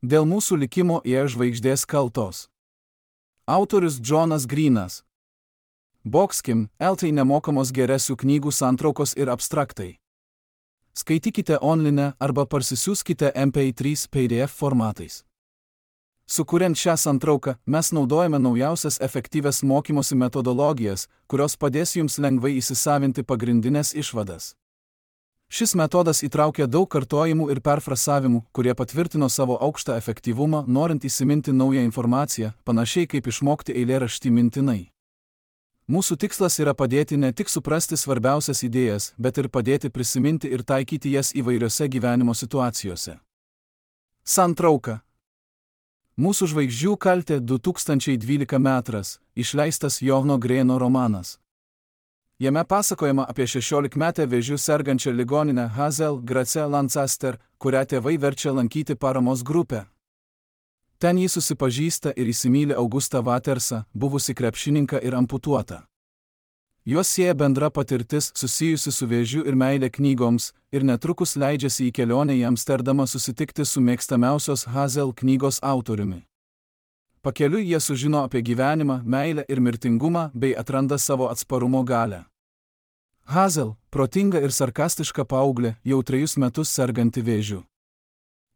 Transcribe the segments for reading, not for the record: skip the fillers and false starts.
Dėl mūsų likimo ėjo žvaigždės kaltos. Autorius Džonas Grynas. Boxkim, LT nemokamos geresių knygų santraukos ir abstraktai. Skaitykite online arba parsisiųskite MP3 PDF formatais. Sukuriant šią santrauką, mes naudojame naujausias efektyvias mokymosi metodologijas, kurios padės jums lengvai įsisavinti pagrindinės išvadas. Šis metodas įtraukia daug kartojimų ir perfrasavimų, kurie patvirtino savo aukštą efektyvumą, norint įsiminti naują informaciją, panašiai kaip išmokti eilėraštį mintinai. Mūsų tikslas yra padėti ne tik suprasti svarbiausias idėjas, bet ir padėti prisiminti ir taikyti jas įvairiose gyvenimo situacijose. Santrauka. Mūsų žvaigždžių kaltė 2012 metras, išleistas Johno Greno romanas. Jame pasakojama apie 16-metę vėžiu sergančią ligoninę Hazel Grace Lancaster, kurią tėvai verčia lankyti paramos grupę. Ten jį susipažįsta ir įsimyli Augustą Watersą, buvusi krepšininką ir amputuotą. Juos sieja bendra patirtis susijusi su vėžiu ir meilė knygoms, ir netrukus leidžiasi į kelionę į Amsterdamą susitikti su mėgstamiausios Hazel knygos autoriumi. Pakeliui jie sužino apie gyvenimą, meilę ir mirtingumą bei atranda savo atsparumo galią. Hazel, protinga ir sarkastiška paauglė, jau 3 metus serganti vėžiu.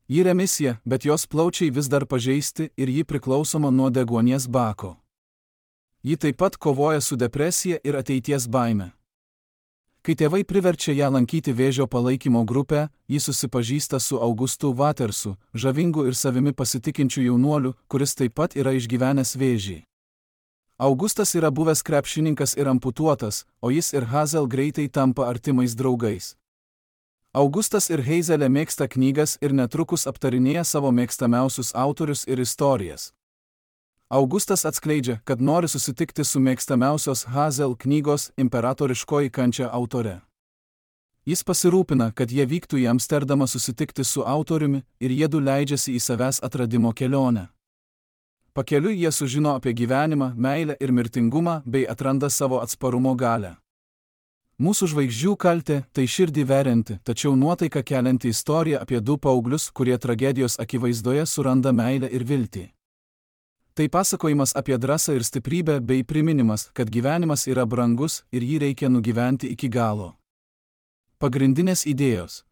Ji remisija, bet jos plaučiai vis dar pažeisti ir ji priklausoma nuo deguonies bako. Ji taip pat kovoja su depresija ir ateities baime. Kai tėvai priverčia ją lankyti vėžio palaikymo grupę, ji susipažįsta su Augustu Watersu, žavingu ir savimi pasitikinčiu jaunuoliu, kuris taip pat yra išgyvenęs vėžį. Augustas yra buvęs krepšininkas ir amputuotas, o jis ir Hazel greitai tampa artimais draugais. Augustas ir Hazelė mėgsta knygas ir netrukus aptarinėja savo mėgstamiausius autorius ir istorijas. Augustas atskleidžia, kad nori susitikti su mėgstamiausios Hazel knygos Imperatoriškoji kančia autore. Jis pasirūpina, kad jie vyktų į Amsterdamą susitikti su autoriumi ir jiedu leidžiasi į savęs atradimo kelionę. Pakeliui jie sužino apie gyvenimą, meilę ir mirtingumą bei atranda savo atsparumo galią. Mūsų žvaigždžių kaltė tai širdį verianti, tačiau nuotaiką kelianti istorija apie 2 paauglius, kurie tragedijos akivaizdoje suranda meilę ir viltį. Tai pasakojimas apie drąsą ir stiprybę bei priminimas, kad gyvenimas yra brangus ir jį reikia nugyventi iki galo. Pagrindinės idėjos.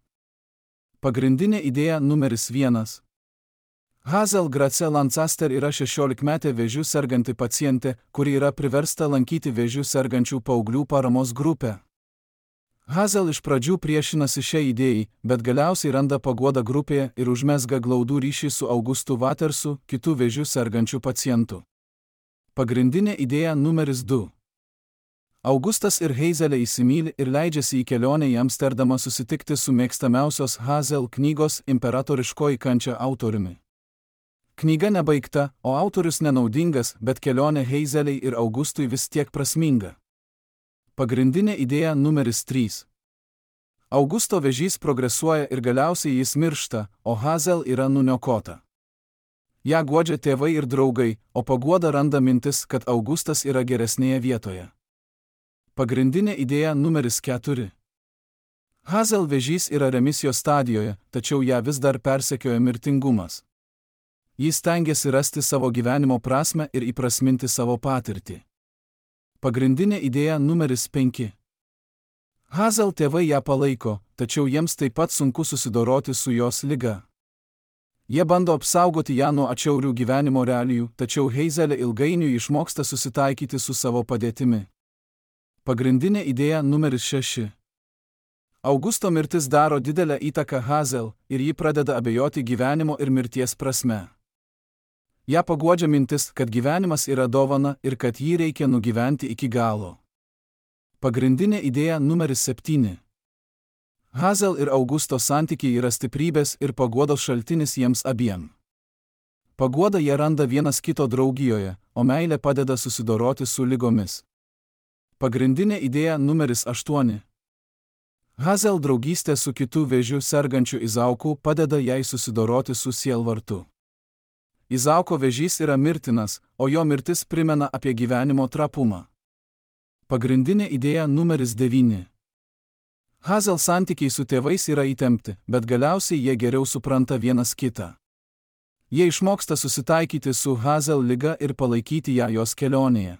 Pagrindinė idėja numeris 1. Hazel Grace Lancaster yra 16-metė vėžiu serganti pacientė, kuri yra priversta lankyti vėžiu sergančių paauglių paramos grupę. Hazel iš pradžių priešinasi šiai idėjai, bet galiausiai randa paguodą grupėje ir užmezga glaudų ryšį su Augustu Watersu, kitų vėžiu sergančių pacientų. Pagrindinė idėja numeris 2. Augustas ir Hazelė įsimyli ir leidžiasi į kelionę į Amsterdamą susitikti su mėgstamiausios Hazel knygos Imperatoriškoji kančia autoriumi. Knyga nebaigta, o autorius nenaudingas, bet kelionė Hazelei ir Augustui vis tiek prasminga. Pagrindinė idėja numeris 3. Augusto vėžys progresuoja ir galiausiai jis miršta, o Hazel yra nuniokota. Ja guodžia tėvai ir draugai, o paguoda randa mintis, kad Augustas yra geresnėje vietoje. Pagrindinė idėja numeris 4. Hazel vėžys yra remisijos stadijoje, tačiau ją vis dar persekioja mirtingumas. Jis stengiasi rasti savo gyvenimo prasmę ir įprasminti savo patirtį. Pagrindinė idėja numeris 5. Hazel tėvai ją palaiko, tačiau jiems taip pat sunku susidoroti su jos liga. Jie bando apsaugoti ją nuo atšiaurių gyvenimo realijų, tačiau Hazelė ilgainiui išmoksta susitaikyti su savo padėtimi. Pagrindinė idėja numeris 6. Augusto mirtis daro didelę įtaką Hazel ir ji pradeda abejoti gyvenimo ir mirties prasme. Ja paguodžia mintis, kad gyvenimas yra dovana ir kad jį reikia nugyventi iki galo. Pagrindinė idėja numeris 7. Hazel ir Augusto santykiai yra stiprybės ir paguodos šaltinis jiems abiem. Paguodą jie randa vienas kito draugijoje, o meilė padeda susidoroti su ligomis. Pagrindinė idėja numeris 8. Hazel draugystė su kitu vėžiu sergančiu Izauku padeda jai susidoroti su sielvartu. Izauko vėžys yra mirtinas, o jo mirtis primena apie gyvenimo trapumą. Pagrindinė idėja numeris 9. Hazel santykiai su tėvais yra įtempti, bet galiausiai jie geriau supranta vienas kitą. Jie išmoksta susitaikyti su Hazel liga ir palaikyti ją jos kelionėje.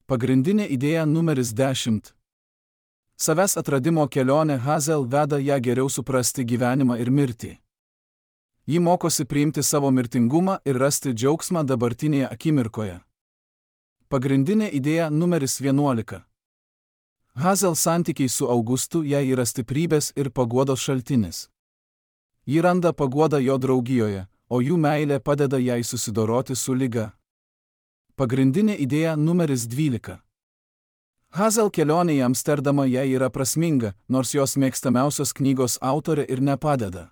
Pagrindinė idėja numeris 10. Savęs atradimo kelionė Hazel veda ją geriau suprasti gyvenimą ir mirtį. Ji mokosi priimti savo mirtingumą ir rasti džiaugsmą dabartinėje akimirkoje. Pagrindinė idėja numeris 11. Hazel santykiai su Augustu jai yra stiprybės ir paguodos šaltinis. Ji randa paguodą jo draugijoje, o jų meilė padeda jai susidoroti su liga. Pagrindinė idėja numeris 12. Hazel kelionė į Amsterdamą jai yra prasminga, nors jos mėgstamiausios knygos autorė ir nepadeda.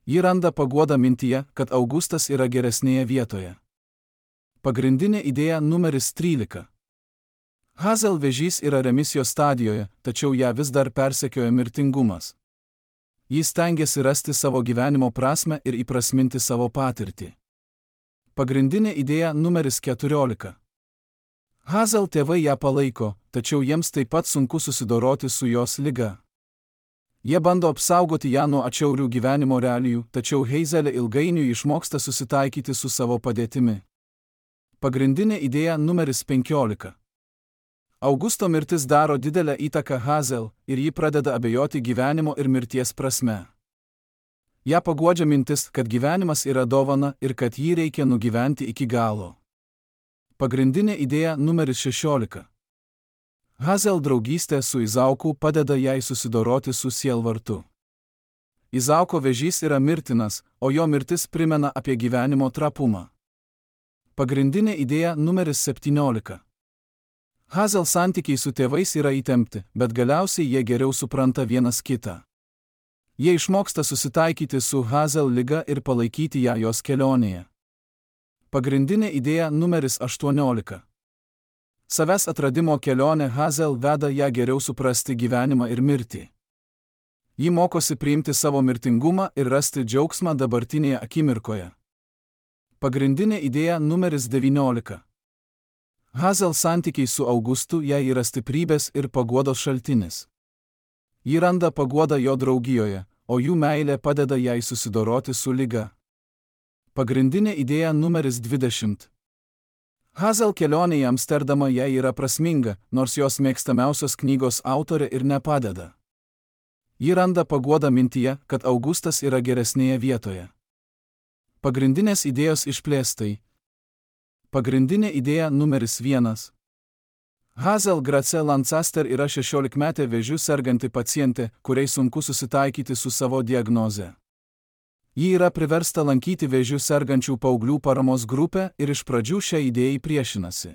Ji randa paguodą mintyje, kad Augustas yra geresnėje vietoje. Pagrindinė idėja numeris 13. Hazel vėžys yra remisijos stadijoje, tačiau ją vis dar persekioja mirtingumas. Jis stengiasi rasti savo gyvenimo prasmę ir įprasminti savo patirtį. Pagrindinė idėja numeris 14. Hazel tėvai ją palaiko, tačiau jiems taip pat sunku susidoroti su jos liga. Jie bando apsaugoti ją nuo atšiaurių gyvenimo realijų, tačiau Hazelė ilgainiui išmoksta susitaikyti su savo padėtimi. Pagrindinė idėja numeris 15. Augusto mirtis daro didelę įtaką Hazel ir ji pradeda abejoti gyvenimo ir mirties prasme. Ja paguodžia mintis, kad gyvenimas yra dovana ir kad jį reikia nugyventi iki galo. Pagrindinė idėja numeris 16. Hazel draugystė su Izauku padeda jai susidoroti su sielvartu. Izauko vėžys yra mirtinas, o jo mirtis primena apie gyvenimo trapumą. Pagrindinė idėja numeris 17. Hazel santykiai su tėvais yra įtempti, bet galiausiai jie geriau supranta vienas kitą. Jie išmoksta susitaikyti su Hazel liga ir palaikyti ją jos kelionėje. Pagrindinė idėja numeris 18. Savęs atradimo kelionė Hazel veda ją geriau suprasti gyvenimą ir mirtį. Ji mokosi priimti savo mirtingumą ir rasti džiaugsmą dabartinėje akimirkoje. Pagrindinė idėja numeris 19. Hazel santykiai su Augustu jai yra stiprybės ir paguodos šaltinis. Ji randa paguodą jo draugijoje, o jų meilė padeda jai susidoroti su liga. Pagrindinė idėja numeris 20. Hazel kelionė į Amsterdamą jai yra prasminga, nors jos mėgstamiausios knygos autorė ir nepadeda. Ji randa paguodą mintyje, kad Augustas yra geresnėje vietoje. Pagrindinės idėjos išplėstai. Pagrindinė idėja numeris 1. Hazel Grace Lancaster yra 16-metė vėžiu serganti pacientė, kuriai sunku susitaikyti su savo diagnoze. Ji yra priversta lankyti vėžiu sergančių paauglių paramos grupę ir iš pradžių šią idėją priešinasi.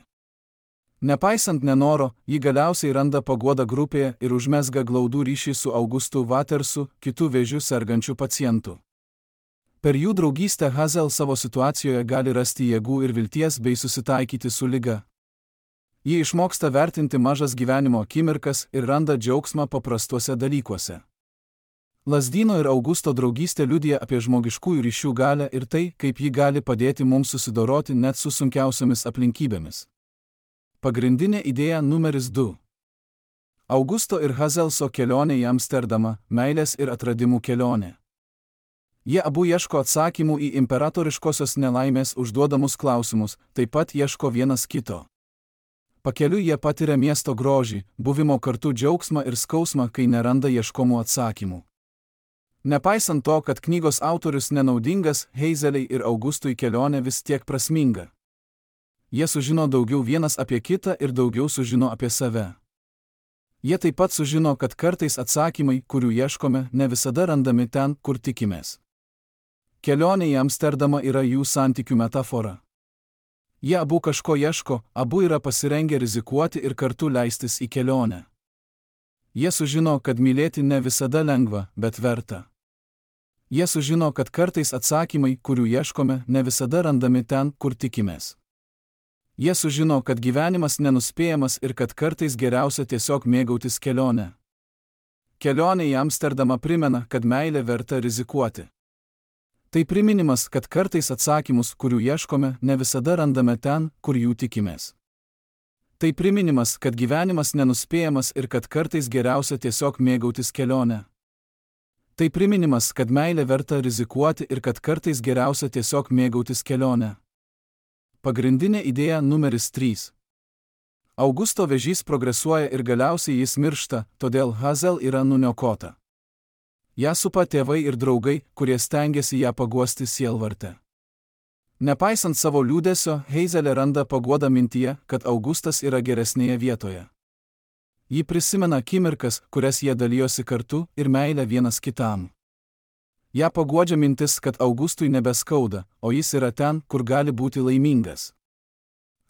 Nepaisant nenoro, ji galiausiai randa paguodą grupėje ir užmezga glaudų ryšį su Augustu Watersu, kitų vėžiu sergančių pacientų. Per jų draugystę Hazel savo situacijoje gali rasti jėgų ir vilties bei susitaikyti su liga. Ji išmoksta vertinti mažas gyvenimo akimirkas ir randa džiaugsmą paprastuose dalykuose. Lazdyno ir Augusto draugystė liudija apie žmogiškųjų ryšių galią ir tai, kaip ji gali padėti mums susidoroti net su sunkiausiomis aplinkybėmis. Pagrindinė idėja numeris 2. Augusto ir Hazelso kelionė į Amsterdamą – meilės ir atradimų kelionė. Jie abu ieško atsakymų į imperatoriškosios nelaimės užduodamus klausimus, taip pat ieško vienas kito. Pakeliui jie patiria miesto grožį, buvimo kartu džiaugsmą ir skausmą, kai neranda ieškomų atsakymų. Nepaisant to, kad knygos autorius nenaudingas, Hazeliai ir Augustui kelionė vis tiek prasminga. Jie sužino daugiau vienas apie kitą ir daugiau sužino apie save. Jie taip pat sužino, kad kartais atsakymai, kurių ieškome, ne visada randami ten, kur tikimės. Kelionė į Amsterdamą yra jų santykių metafora. Jie abu kažko ieško, abu yra pasirengę rizikuoti ir kartu leistis į kelionę. Jie sužino, kad mylėti ne visada lengva, bet verta. Jie sužino, kad kartais atsakymai, kurių ieškome, ne visada randami ten, kur tikimės. Jie sužino, kad gyvenimas nenuspėjamas ir kad kartais geriausia tiesiog mėgautis kelionę. Kelionė į Amsterdamą primena, kad meilė verta rizikuoti. Tai priminimas, kad kartais atsakymus, kurių ieškome, ne visada randame ten, kur jų tikimės. Tai priminimas, kad gyvenimas nenuspėjamas ir kad kartais geriausia tiesiog mėgautis kelionę. Tai priminimas, kad meilė verta rizikuoti ir kad kartais geriausia tiesiog mėgautis kelionę. Pagrindinė idėja numeris 3. Augusto vėžys progresuoja ir galiausiai jis miršta, todėl Hazel yra nuniokota. Ja supa tėvai ir draugai, kurie stengiasi ją paguosti sielvarte. Nepaisant savo liūdesio, Hazelė randa paguodą mintyje, kad Augustas yra geresnėje vietoje. Ji prisimena akimirkas, kurias jie dalijosi kartu ir meilę vienas kitam. Ja paguodžia mintis, kad Augustui nebeskauda, o jis yra ten, kur gali būti laimingas.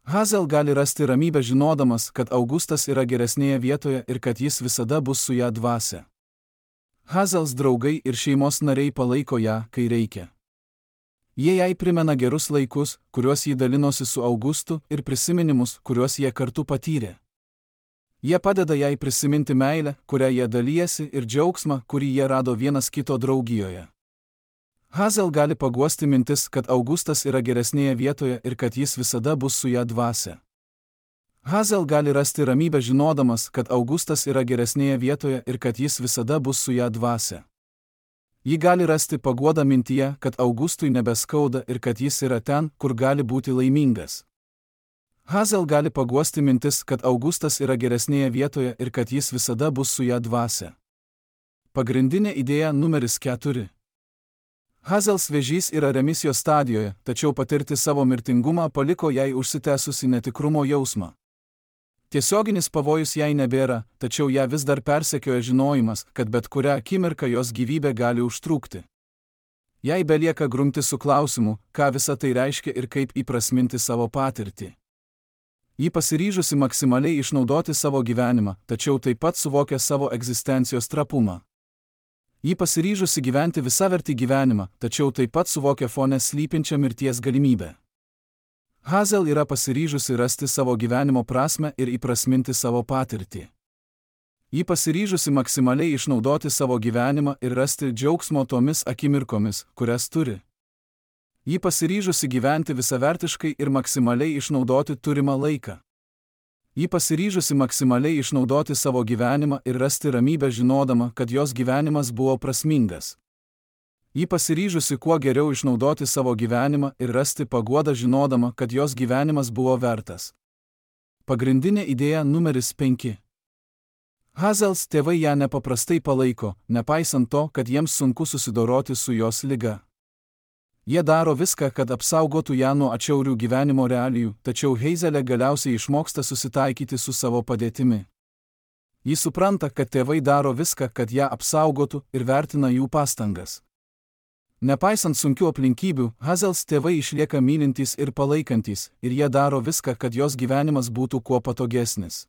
Hazel gali rasti ramybę žinodamas, kad Augustas yra geresnėje vietoje ir kad jis visada bus su ją dvasia. Hazels draugai ir šeimos nariai palaiko ją, kai reikia. Jie jai primena gerus laikus, kuriuos ji dalinosi su Augustu, ir prisiminimus, kuriuos jie kartu patyrė. Jie padeda jai prisiminti meilę, kurią jie dalijasi, ir džiaugsmą, kurį jie rado vienas kito draugijoje. Hazel gali paguosti mintis, kad Augustas yra geresnėje vietoje ir kad jis visada bus su ją dvasia. Hazel gali rasti ramybę žinodamas, kad Augustas yra geresnėje vietoje ir kad jis visada bus su ją dvasia. Ji gali rasti paguodą mintyje, kad Augustui nebeskauda ir kad jis yra ten, kur gali būti laimingas. Hazel gali paguosti mintis, kad Augustas yra geresnėje vietoje ir kad jis visada bus su ją dvasia. Pagrindinė idėja numeris 4. Hazels vėžys yra remisijos stadijoje, tačiau patirti savo mirtingumą paliko jai užsitęsusi netikrumo jausmą. Tiesioginis pavojus jai nebėra, tačiau ją vis dar persekioja žinojimas, kad bet kurią akimirką jos gyvybė gali užtrūkti. Jai belieka grumti su klausimu, ką visa tai reiškia ir kaip įprasminti savo patirtį. Ji pasiryžusi maksimaliai išnaudoti savo gyvenimą, tačiau taip pat suvokia savo egzistencijos trapumą. Ji pasiryžusi gyventi visavertį gyvenimą, tačiau taip pat suvokia fone slypinčią mirties galimybę. Hazel yra pasiryžusi rasti savo gyvenimo prasmę ir įprasminti savo patirtį. Ji pasiryžusi maksimaliai išnaudoti savo gyvenimą ir rasti džiaugsmo tomis akimirkomis, kurias turi. Ji pasiryžusi gyventi visavertiškai ir maksimaliai išnaudoti turimą laiką. Ji pasiryžusi maksimaliai išnaudoti savo gyvenimą ir rasti ramybę žinodama, kad jos gyvenimas buvo prasmingas. Ji pasiryžusi kuo geriau išnaudoti savo gyvenimą ir rasti paguodą žinodama, kad jos gyvenimas buvo vertas. Pagrindinė idėja numeris 5. Hazels tėvai ją nepaprastai palaiko, nepaisant to, kad jiems sunku susidoroti su jos liga. Jie daro viską, kad apsaugotų ją nuo atšiaurių gyvenimo realijų, tačiau Hazelė galiausiai išmoksta susitaikyti su savo padėtimi. Ji supranta, kad tėvai daro viską, kad ją apsaugotų ir vertina jų pastangas. Nepaisant sunkių aplinkybių, Hazels tėvai išlieka mylintys ir palaikantys, ir jie daro viską, kad jos gyvenimas būtų kuo patogesnis.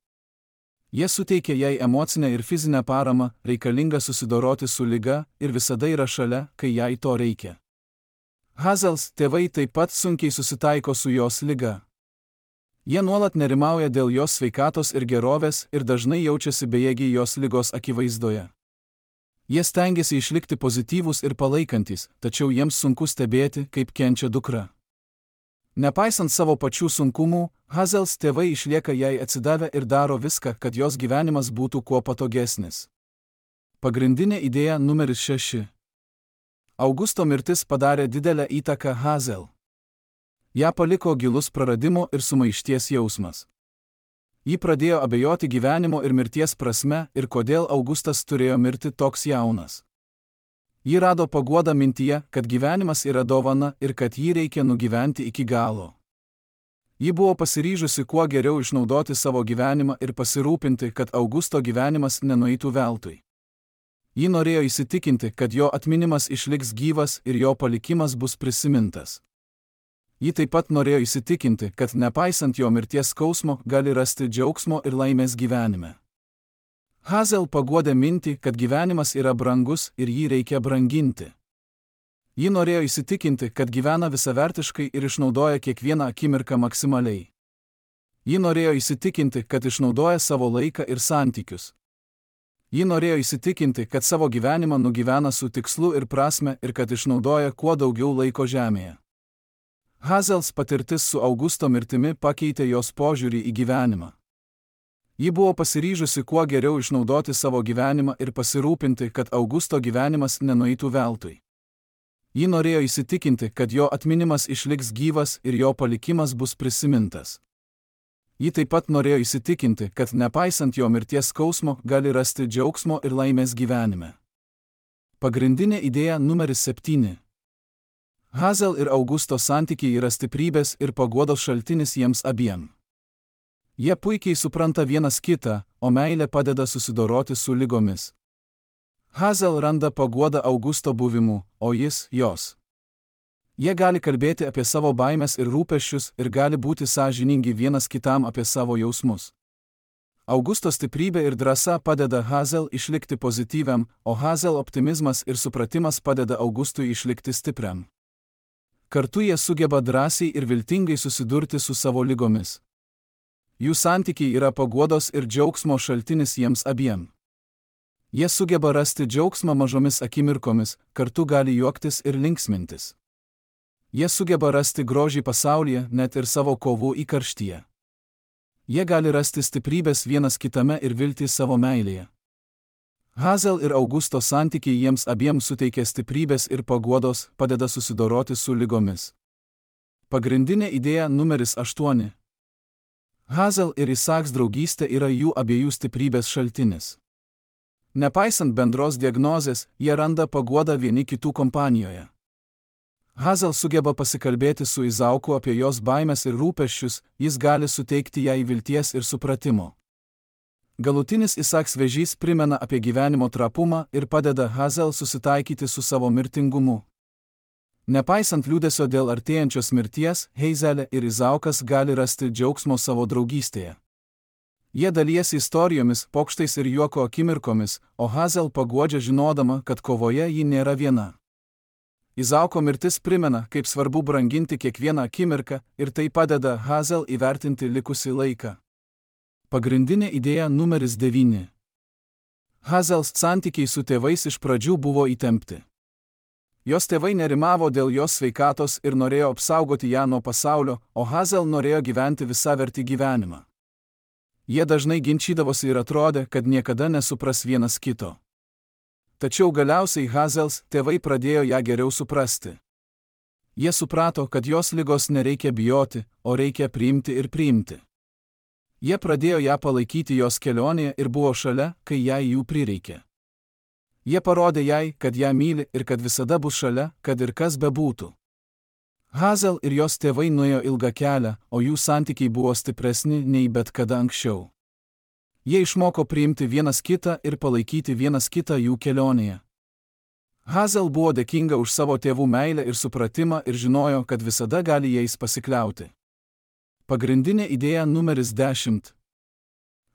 Jie suteikia jai emocinę ir fizinę paramą, reikalingą susidoroti su liga, ir visada yra šalia, kai jai to reikia. Hazels tėvai taip pat sunkiai susitaiko su jos liga. Jie nuolat nerimauja dėl jos sveikatos ir gerovės ir dažnai jaučiasi bejėgiai jos ligos akivaizdoje. Jie stengiasi išlikti pozityvūs ir palaikantis, tačiau jiems sunku stebėti, kaip kenčia dukra. Nepaisant savo pačių sunkumų, Hazels tėvai išlieka jai atsidavę ir daro viską, kad jos gyvenimas būtų kuo patogesnis. Pagrindinė idėja numeris 6. Augusto mirtis padarė didelę įtaką Hazel. Ja paliko gilus praradimo ir sumaišties jausmas. Ji pradėjo abejoti gyvenimo ir mirties prasme ir kodėl Augustas turėjo mirti toks jaunas. Ji rado paguodą mintyje, kad gyvenimas yra dovana ir kad jį reikia nugyventi iki galo. Ji buvo pasiryžusi kuo geriau išnaudoti savo gyvenimą ir pasirūpinti, kad Augusto gyvenimas nenueitų veltui. Ji norėjo įsitikinti, kad jo atminimas išliks gyvas ir jo palikimas bus prisimintas. Ji taip pat norėjo įsitikinti, kad nepaisant jo mirties skausmo gali rasti džiaugsmo ir laimės gyvenime. Hazel paguodė mintį, kad gyvenimas yra brangus ir jį reikia branginti. Ji norėjo įsitikinti, kad gyvena visavertiškai ir išnaudoja kiekvieną akimirką maksimaliai. Ji norėjo įsitikinti, kad išnaudoja savo laiką ir santykius. Ji norėjo įsitikinti, kad savo gyvenimą nugyvena su tikslu ir prasme ir kad išnaudoja kuo daugiau laiko žemėje. Hazels patirtis su Augusto mirtimi pakeitė jos požiūrį į gyvenimą. Ji buvo pasiryžusi kuo geriau išnaudoti savo gyvenimą ir pasirūpinti, kad Augusto gyvenimas nenueitų veltui. Ji norėjo įsitikinti, kad jo atminimas išliks gyvas ir jo palikimas bus prisimintas. Ji taip pat norėjo įsitikinti, kad nepaisant jo mirties skausmo gali rasti džiaugsmo ir laimės gyvenime. Pagrindinė idėja numeris 7. Hazel ir Augusto santykiai yra stiprybės ir paguodos šaltinis jiems abiem. Jie puikiai supranta vienas kitą, o meilė padeda susidoroti su ligomis. Hazel randa paguodą Augusto buvimu, o jis jos. Jie gali kalbėti apie savo baimes ir rūpesčius ir gali būti sąžiningi vienas kitam apie savo jausmus. Augusto stiprybė ir drąsa padeda Hazel išlikti pozityviam, o Hazel optimizmas ir supratimas padeda Augustui išlikti stipriam. Kartu jie sugeba drąsiai ir viltingai susidurti su savo ligomis. Jų santykiai yra paguodos ir džiaugsmo šaltinis jiems abiem. Jie sugeba rasti džiaugsmą mažomis akimirkomis, kartu gali juoktis ir linksmintis. Jie sugeba rasti grožį pasaulyje, net ir savo kovų įkarštyje. Jie gali rasti stiprybės vienas kitame ir viltį savo meilėje. Hazel ir Augusto santykiai jiems abiems suteikia stiprybės ir paguodos, padeda susidoroti su ligomis. Pagrindinė idėja numeris 8. Hazel ir Isaks draugystė yra jų abiejų stiprybės šaltinis. Nepaisant bendros diagnozės, jie randa paguodą vieni kitų kompanijoje. Hazel sugeba pasikalbėti su Izauku apie jos baimes ir rūpesčius, jis gali suteikti jai vilties ir supratimo. Galutinis Isaks vėžys primena apie gyvenimo trapumą ir padeda Hazel susitaikyti su savo mirtingumu. Nepaisant liūdesio dėl artėjančios mirties, Hazelė ir Izaukas gali rasti džiaugsmo savo draugystėje. Jie dalijasi istorijomis, pokštais ir juoko akimirkomis, o Hazel paguodžia žinodama, kad kovoje ji nėra viena. Izauko mirtis primena, kaip svarbu branginti kiekvieną akimirką ir tai padeda Hazel įvertinti likusį laiką. Pagrindinė idėja numeris 9. Hazels santykiai su tėvais iš pradžių buvo įtempti. Jos tėvai nerimavo dėl jos sveikatos ir norėjo apsaugoti ją nuo pasaulio, o Hazel norėjo gyventi visavertį gyvenimą. Jie dažnai ginčydavosi ir atrodė, kad niekada nesupras vienas kito. Tačiau galiausiai Hazels tėvai pradėjo ją geriau suprasti. Jie suprato, kad jos ligos nereikia bijoti, o reikia priimti ir priimti. Jie pradėjo ją palaikyti jos kelionėje ir buvo šalia, kai jai jų prireikė. Jie parodė jai, kad ją myli ir kad visada bus šalia, kad ir kas bebūtų. Hazel ir jos tėvai nuėjo ilgą kelią, o jų santykiai buvo stipresni nei bet kada anksčiau. Jie išmoko priimti vienas kitą ir palaikyti vienas kitą jų kelionėje. Hazel buvo dėkinga už savo tėvų meilę ir supratimą ir žinojo, kad visada gali jais pasikliauti. Pagrindinė idėja numeris 10.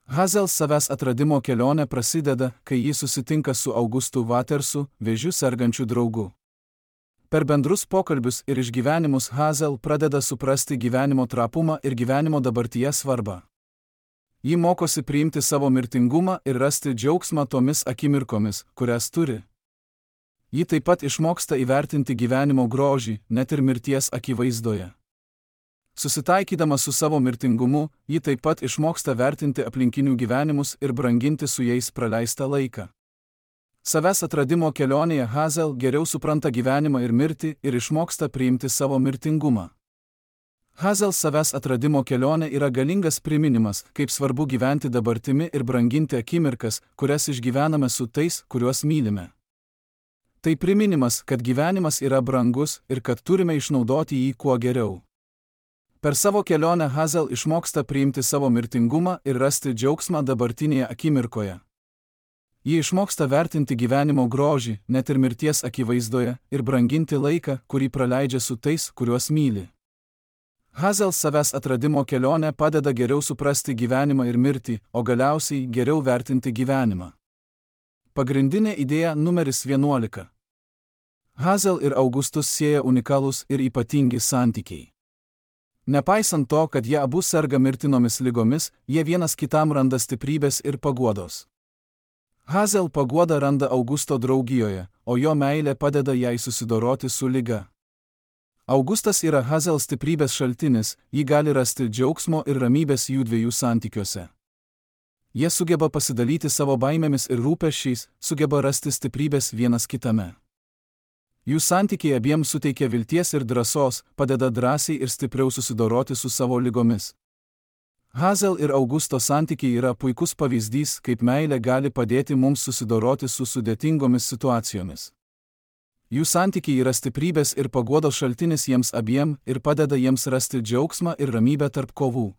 Hazel savęs atradimo kelionė prasideda, kai ji susitinka su Augustu Watersu, vėžiu sergančiu draugu. Per bendrus pokalbius ir išgyvenimus Hazel pradeda suprasti gyvenimo trapumą ir gyvenimo dabartyje svarbą. Ji mokosi priimti savo mirtingumą ir rasti džiaugsmą tomis akimirkomis, kurias turi. Ji taip pat išmoksta įvertinti gyvenimo grožį, net ir mirties akivaizdoje. Susitaikydama su savo mirtingumu, ji taip pat išmoksta vertinti aplinkinių gyvenimus ir branginti su jais praleistą laiką. Savęs atradimo kelionėje Hazel geriau supranta gyvenimą ir mirtį ir išmoksta priimti savo mirtingumą. Hazel savęs atradimo kelionė yra galingas priminimas, kaip svarbu gyventi dabartimi ir branginti akimirkas, kurias išgyvename su tais, kuriuos mylime. Tai priminimas, kad gyvenimas yra brangus ir kad turime išnaudoti jį kuo geriau. Per savo kelionę Hazel išmoksta priimti savo mirtingumą ir rasti džiaugsmą dabartinėje akimirkoje. Ji išmoksta vertinti gyvenimo grožį, net ir mirties akivaizdoje, ir branginti laiką, kurį praleidžia su tais, kuriuos myli. Hazel savęs atradimo kelionė padeda geriau suprasti gyvenimą ir mirtį, o galiausiai geriau vertinti gyvenimą. Pagrindinė idėja numeris 11. Hazel ir Augustus sieja unikalūs ir ypatingi santykiai. Nepaisant to, kad jie abu serga mirtinomis ligomis, jie vienas kitam randa stiprybės ir paguodos. Hazel paguodą randa Augusto draugijoje, o jo meilė padeda jai susidoroti su liga. Augustas yra Hazel stiprybės šaltinis, ji gali rasti džiaugsmo ir ramybės jų dviejų santykiuose. Jie sugeba pasidalyti savo baimėmis ir rūpesčiais, sugeba rasti stiprybės vienas kitame. Jų santykiai abiems suteikia vilties ir drąsos, padeda drąsiai ir stipriau susidoroti su savo ligomis. Hazel ir Augusto santykiai yra puikus pavyzdys, kaip meilė gali padėti mums susidoroti su sudėtingomis situacijomis. Jų santykiai yra stiprybės ir paguodos šaltinis jiems abiem ir padeda jiems rasti džiaugsmą ir ramybę tarp kovų.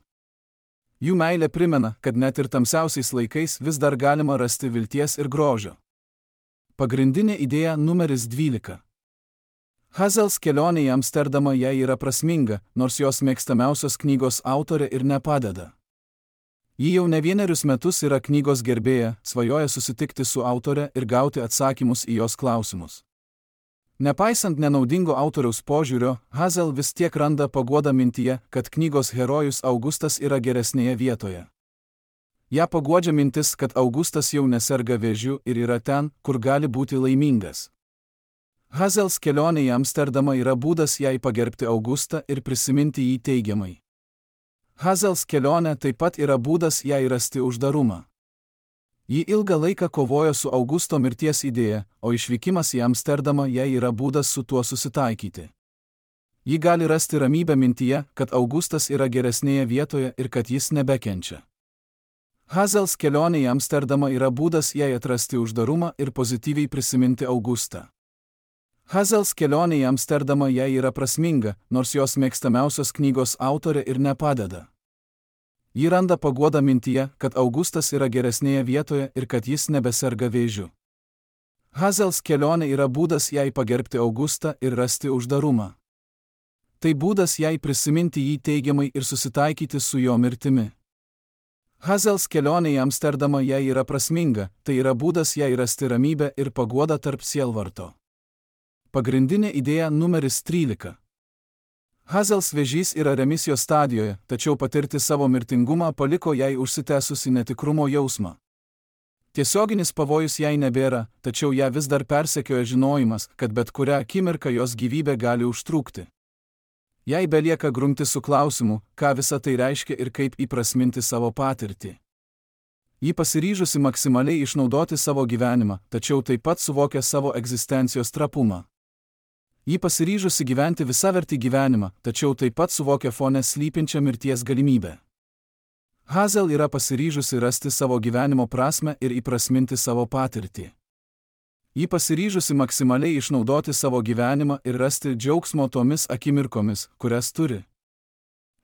Jų meilė primena, kad net ir tamsiausiais laikais vis dar galima rasti vilties ir grožio. Pagrindinė idėja numeris 12. Hazels kelionė į Amsterdamą jai yra prasminga, nors jos mėgstamiausios knygos autorė ir nepadeda. Ji jau ne vienerius metus yra knygos gerbėja, svajoja susitikti su autore ir gauti atsakymus į jos klausimus. Nepaisant nenaudingo autoriaus požiūrio, Hazel vis tiek randa paguodą mintyje, kad knygos herojus Augustas yra geresnėje vietoje. Ja paguodžia mintis, kad Augustas jau neserga vėžiu ir yra ten, kur gali būti laimingas. Hazels kelionė į Amsterdamą yra būdas jai pagerbti Augustą ir prisiminti jį teigiamai. Hazels kelionė taip pat yra būdas jai rasti uždarumą. Ji ilgą laiką kovojo su Augusto mirties idėja, o išvykimas į Amsterdamą jai yra būdas su tuo susitaikyti. Ji gali rasti ramybę mintyje, kad Augustas yra geresnėje vietoje ir kad jis nebekenčia. Hazels kelionė į Amsterdamą yra būdas jai atrasti uždarumą ir pozityviai prisiminti Augustą. Hazels kelionė į Amsterdamą jai yra prasminga, nors jos mėgstamiausios knygos autorė ir nepadeda. Ji randa paguodą mintyje, kad Augustas yra geresnėje vietoje ir kad jis nebeserga vėžiu. Hazels kelionė yra būdas jai pagerbti Augustą ir rasti uždarumą. Tai būdas jai prisiminti jį teigiamai ir susitaikyti su jo mirtimi. Hazels kelionė į Amsterdamą jai yra prasminga, tai yra būdas jai rasti ramybę ir paguodą tarp sielvarto. Pagrindinė idėja numeris 13. Hazels vėžys yra remisijos stadijoje, tačiau patirti savo mirtingumą paliko jai užsitęsusi netikrumo jausmą. Tiesioginis pavojus jai nebėra, tačiau ją vis dar persekioja žinojimas, kad bet kurią akimirką jos gyvybė gali užtrūkti. Jai belieka grumti su klausimu, ką visa tai reiškia ir kaip įprasminti savo patirtį. Ji pasiryžusi maksimaliai išnaudoti savo gyvenimą, tačiau taip pat suvokia savo egzistencijos trapumą. Ji pasiryžusi gyventi visavertį gyvenimą, tačiau taip pat suvokia fone slypinčią mirties galimybę. Hazel yra pasiryžusi rasti savo gyvenimo prasmę ir įprasminti savo patirtį. Ji pasiryžusi maksimaliai išnaudoti savo gyvenimą ir rasti džiaugsmo tomis akimirkomis, kurias turi.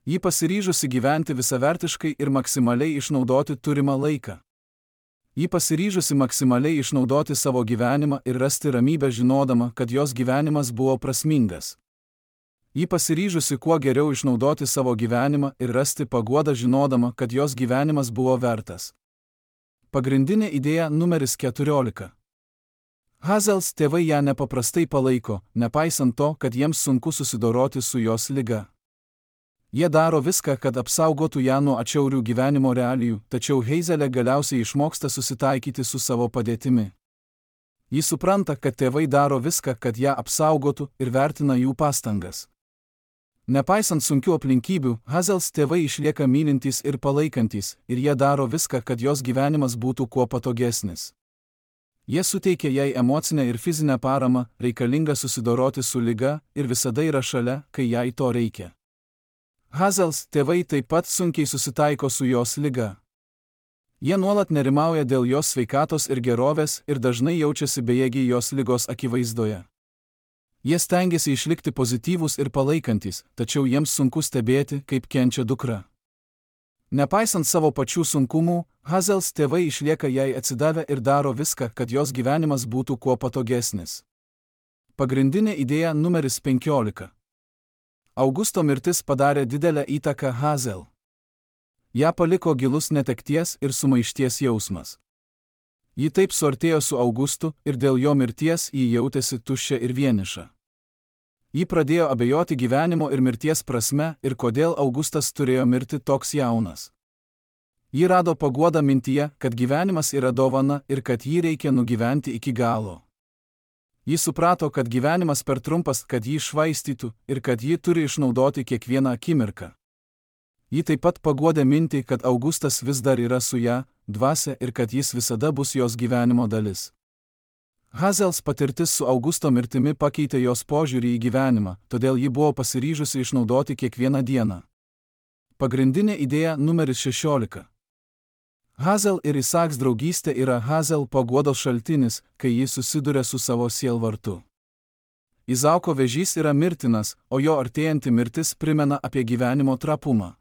Ji pasiryžusi gyventi visavertiškai ir maksimaliai išnaudoti turimą laiką. Ji pasiryžusi maksimaliai išnaudoti savo gyvenimą ir rasti ramybę žinodama, kad jos gyvenimas buvo prasmingas. Ji pasiryžusi kuo geriau išnaudoti savo gyvenimą ir rasti paguodą žinodama, kad jos gyvenimas buvo vertas. Pagrindinė idėja numeris 14. Hazels tėvai ją nepaprastai palaiko, nepaisant to, kad jiems sunku susidoroti su jos liga. Jie daro viską, kad apsaugotų ją nuo atšiaurių gyvenimo realijų, tačiau Hazelė galiausiai išmoksta susitaikyti su savo padėtimi. Ji supranta, kad tėvai daro viską, kad ją apsaugotų ir vertina jų pastangas. Nepaisant sunkių aplinkybių, Hazels tėvai išlieka mylintys ir palaikantys, ir jie daro viską, kad jos gyvenimas būtų kuo patogesnis. Jie suteikia jai emocinę ir fizinę paramą, reikalingą susidoroti su liga, ir visada yra šalia, kai jai to reikia. Hazels tėvai taip pat sunkiai susitaiko su jos liga. Jie nuolat nerimauja dėl jos sveikatos ir gerovės ir dažnai jaučiasi bejėgiai jos ligos akivaizdoje. Jie stengiasi išlikti pozityvūs ir palaikantis, tačiau jiems sunku stebėti, kaip kenčia dukra. Nepaisant savo pačių sunkumų, Hazels tėvai išlieka jai atsidavę ir daro viską, kad jos gyvenimas būtų kuo patogesnis. Pagrindinė idėja numeris 15. Augusto mirtis padarė didelę įtaką Hazel. Ja paliko gilus netekties ir sumaišties jausmas. Ji taip suartėjo su Augustu ir dėl jo mirties ji jautėsi tuščia ir vieniša. Ji pradėjo abejoti gyvenimo ir mirties prasme ir kodėl Augustas turėjo mirti toks jaunas. Ji rado paguodą mintyje, kad gyvenimas yra dovana ir kad jį reikia nugyventi iki galo. Ji suprato, kad gyvenimas per trumpas, kad jį švaistytų ir kad ji turi išnaudoti kiekvieną akimirką. Ji taip pat paguodė mintį, kad Augustas vis dar yra su ja, dvasią ir kad jis visada bus jos gyvenimo dalis. Hazels patirtis su Augusto mirtimi pakeitė jos požiūrį į gyvenimą, todėl ji buvo pasiryžusi išnaudoti kiekvieną dieną. Pagrindinė idėja numeris 16. Hazel ir Isaks draugystė yra Hazel paguodos šaltinis, kai jis susiduria su savo sielvartu. Izauko vėžys yra mirtinas, o jo artėjanti mirtis primena apie gyvenimo trapumą.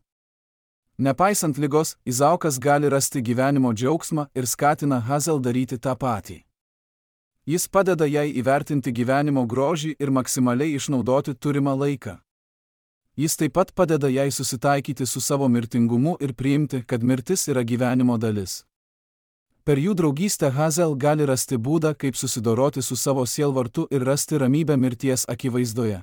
Nepaisant ligos, Izaukas gali rasti gyvenimo džiaugsmą ir skatina Hazel daryti tą patį. Jis padeda jai įvertinti gyvenimo grožį ir maksimaliai išnaudoti turimą laiką. Jis taip pat padeda jai susitaikyti su savo mirtingumu ir priimti, kad mirtis yra gyvenimo dalis. Per jų draugystę Hazel gali rasti būdą, kaip susidoroti su savo sielvartu ir rasti ramybę mirties akivaizdoje.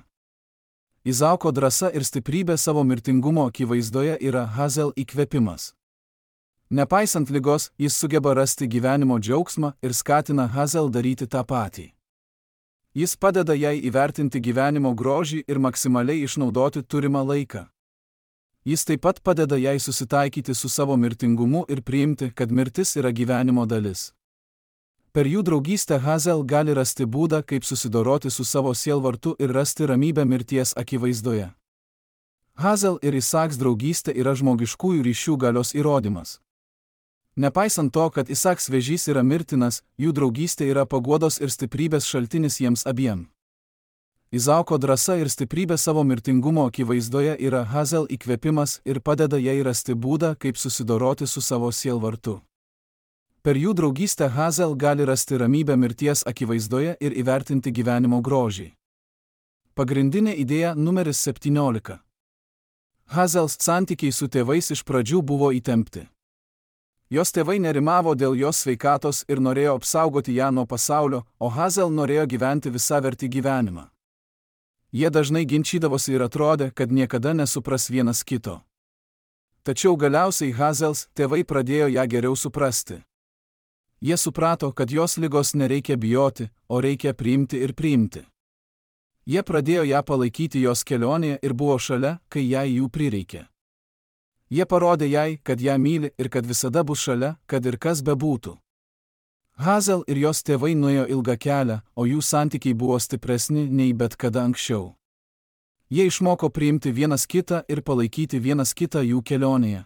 Izauko drąsa ir stiprybė savo mirtingumo akivaizdoje yra Hazel įkvėpimas. Nepaisant ligos, jis sugeba rasti gyvenimo džiaugsmą ir skatina Hazel daryti tą patį. Jis padeda jai įvertinti gyvenimo grožį ir maksimaliai išnaudoti turimą laiką. Jis taip pat padeda jai susitaikyti su savo mirtingumu ir priimti, kad mirtis yra gyvenimo dalis. Per jų draugystę Hazel gali rasti būdą, kaip susidoroti su savo sielvartu ir rasti ramybę mirties akivaizdoje. Hazel ir Isaks draugystė yra žmogiškųjų ryšių galios įrodymas. Nepaisant to, kad Isaks vėžys yra mirtinas, jų draugystė yra paguodos ir stiprybės šaltinis jiems abiem. Izauko drąsa ir stiprybė savo mirtingumo akivaizdoje yra Hazel įkvėpimas ir padeda jai rasti būdą, kaip susidoroti su savo sielvartu. Per jų draugystę Hazel gali rasti ramybę mirties akivaizdoje ir įvertinti gyvenimo grožį. Pagrindinė idėja numeris 17. Hazels santykiai su tėvais iš pradžių buvo įtempti. Jos tėvai nerimavo dėl jos sveikatos ir norėjo apsaugoti ją nuo pasaulio, o Hazel norėjo gyventi visavertį gyvenimą. Jie dažnai ginčydavosi ir atrodė, kad niekada nesupras vienas kito. Tačiau galiausiai Hazels tėvai pradėjo ją geriau suprasti. Jie suprato, kad jos ligos nereikia bijoti, o reikia priimti ir priimti. Jie pradėjo ją palaikyti jos kelionėje ir buvo šalia, kai jai jų prireikė. Jie parodė jai, kad ją myli ir kad visada bus šalia, kad ir kas bebūtų. Hazel ir jos tėvai nuėjo ilgą kelią, o jų santykiai buvo stipresni nei bet kada anksčiau. Jie išmoko priimti vienas kitą ir palaikyti vienas kitą jų kelionėje.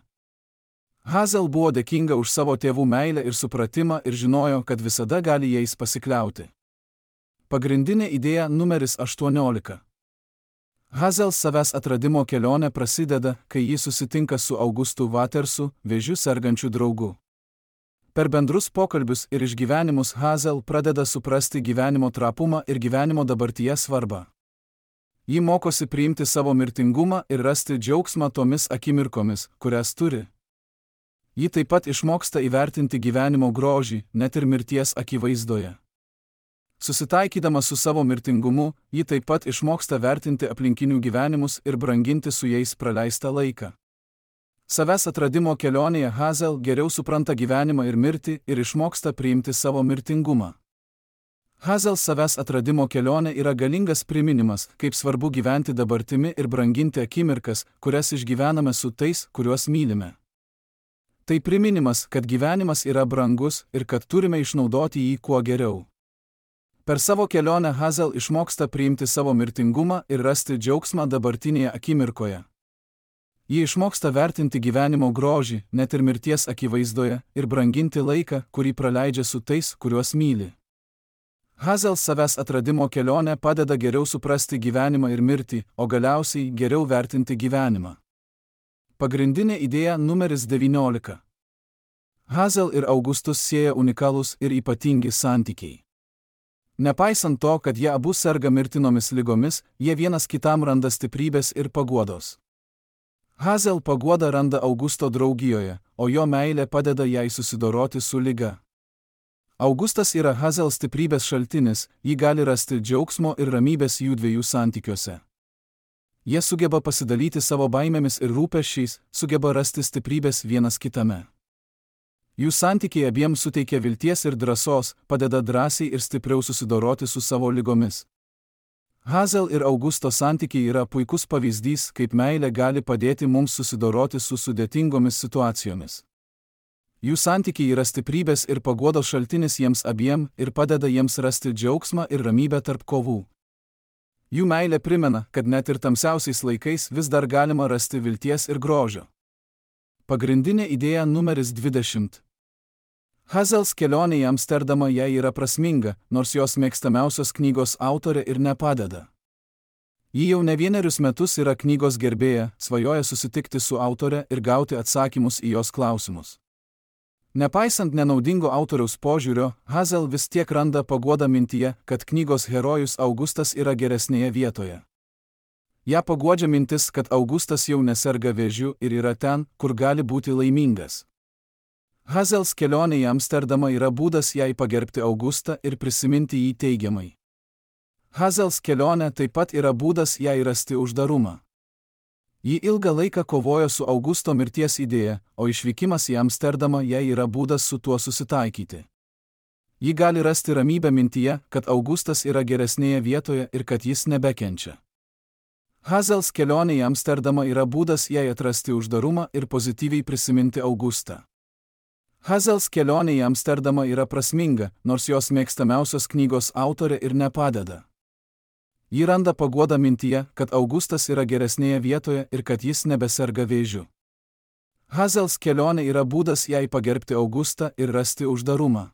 Hazel buvo dėkinga už savo tėvų meilę ir supratimą ir žinojo, kad visada gali jais pasikliauti. Pagrindinė idėja numeris 18. Hazel savęs atradimo kelionė prasideda, kai ji susitinka su Augustu Watersu, vėžiu sergančiu draugu. Per bendrus pokalbius ir išgyvenimus Hazel pradeda suprasti gyvenimo trapumą ir gyvenimo dabartyje svarbą. Ji mokosi priimti savo mirtingumą ir rasti džiaugsmą tomis akimirkomis, kurias turi. Ji taip pat išmoksta įvertinti gyvenimo grožį, net ir mirties akivaizdoje. Susitaikydama su savo mirtingumu, ji taip pat išmoksta vertinti aplinkinių gyvenimus ir branginti su jais praleistą laiką. Savęs atradimo kelionėje Hazel geriau supranta gyvenimą ir mirtį ir išmoksta priimti savo mirtingumą. Hazel savęs atradimo kelionė yra galingas priminimas, kaip svarbu gyventi dabartimi ir branginti akimirkas, kurias išgyvename su tais, kuriuos mylime. Tai priminimas, kad gyvenimas yra brangus ir kad turime išnaudoti jį kuo geriau. Per savo kelionę Hazel išmoksta priimti savo mirtingumą ir rasti džiaugsmą dabartinėje akimirkoje. Ji išmoksta vertinti gyvenimo grožį, net ir mirties akivaizdoje, ir branginti laiką, kurį praleidžia su tais, kuriuos myli. Hazel savęs atradimo kelionė padeda geriau suprasti gyvenimą ir mirtį, o galiausiai geriau vertinti gyvenimą. Pagrindinė idėja numeris 19. Hazel ir Augustus sieja unikalūs ir ypatingi santykiai. Nepaisant to, kad jie abu serga mirtinomis ligomis, jie vienas kitam randa stiprybės ir paguodos. Hazel paguodą randa Augusto draugijoje, o jo meilė padeda jai susidoroti su liga. Augustas yra Hazel stiprybės šaltinis, ji gali rasti džiaugsmo ir ramybės jų dviejų santykiuose. Jie sugeba pasidalyti savo baimėmis ir rūpesčiais, sugeba rasti stiprybės vienas kitame. Jų santykiai abiems suteikia vilties ir drąsos, padeda drąsiai ir stipriau susidoroti su savo ligomis. Hazel ir Augusto santykiai yra puikus pavyzdys, kaip meilė gali padėti mums susidoroti su sudėtingomis situacijomis. Jų santykiai yra stiprybės ir paguodos šaltinis jiems abiem ir padeda jiems rasti džiaugsmą ir ramybę tarp kovų. Jų meilė primena, kad net ir tamsiausiais laikais vis dar galima rasti vilties ir grožio. Pagrindinė idėja numeris 20. Hazels kelionė į Amsterdamą jai yra prasminga, nors jos mėgstamiausios knygos autorė ir nepadeda. Ji jau ne vienerius metus yra knygos gerbėja, svajoja susitikti su autore ir gauti atsakymus į jos klausimus. Nepaisant nenaudingo autoriaus požiūrio, Hazel vis tiek randa paguodą mintyje, kad knygos herojus Augustas yra geresnėje vietoje. Ja paguodžia mintis, kad Augustas jau neserga vėžiu ir yra ten, kur gali būti laimingas. Hazels kelionė į Amsterdamą yra būdas jai pagerbti Augustą ir prisiminti jį teigiamai. Hazels kelionė taip pat yra būdas jai rasti uždarumą. Ji ilgą laiką kovojo su Augusto mirties idėja, o išvykimas į Amsterdamą jai yra būdas su tuo susitaikyti. Ji gali rasti ramybę mintyje, kad Augustas yra geresnėje vietoje ir kad jis nebekenčia. Hazels kelionė į Amsterdamą yra būdas jai atrasti uždarumą ir pozityviai prisiminti Augustą. Hazels kelionė į Amsterdamą yra prasminga, nors jos mėgstamiausios knygos autorė ir nepadeda. Ji randa paguodą mintyje, kad Augustas yra geresnėje vietoje ir kad jis nebeserga vėžiu. Hazels kelionė yra būdas jai pagerbti Augustą ir rasti uždarumą.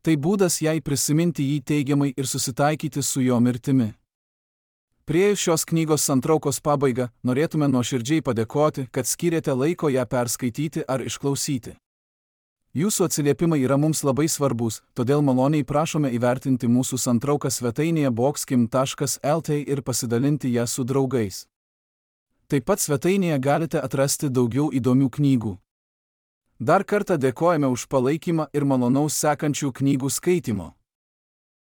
Tai būdas jai prisiminti jį teigiamai ir susitaikyti su jo mirtimi. Priėjus šios knygos santraukos pabaigą, norėtume nuoširdžiai padėkoti, kad skyrėte laiko ją perskaityti ar išklausyti. Jūsų atsiliepimai yra mums labai svarbus, todėl maloniai prašome įvertinti mūsų santrauką svetainėje boxkim.lt ir pasidalinti ją su draugais. Taip pat svetainėje galite atrasti daugiau įdomių knygų. Dar kartą dėkojame už palaikymą ir malonaus sekančių knygų skaitimo.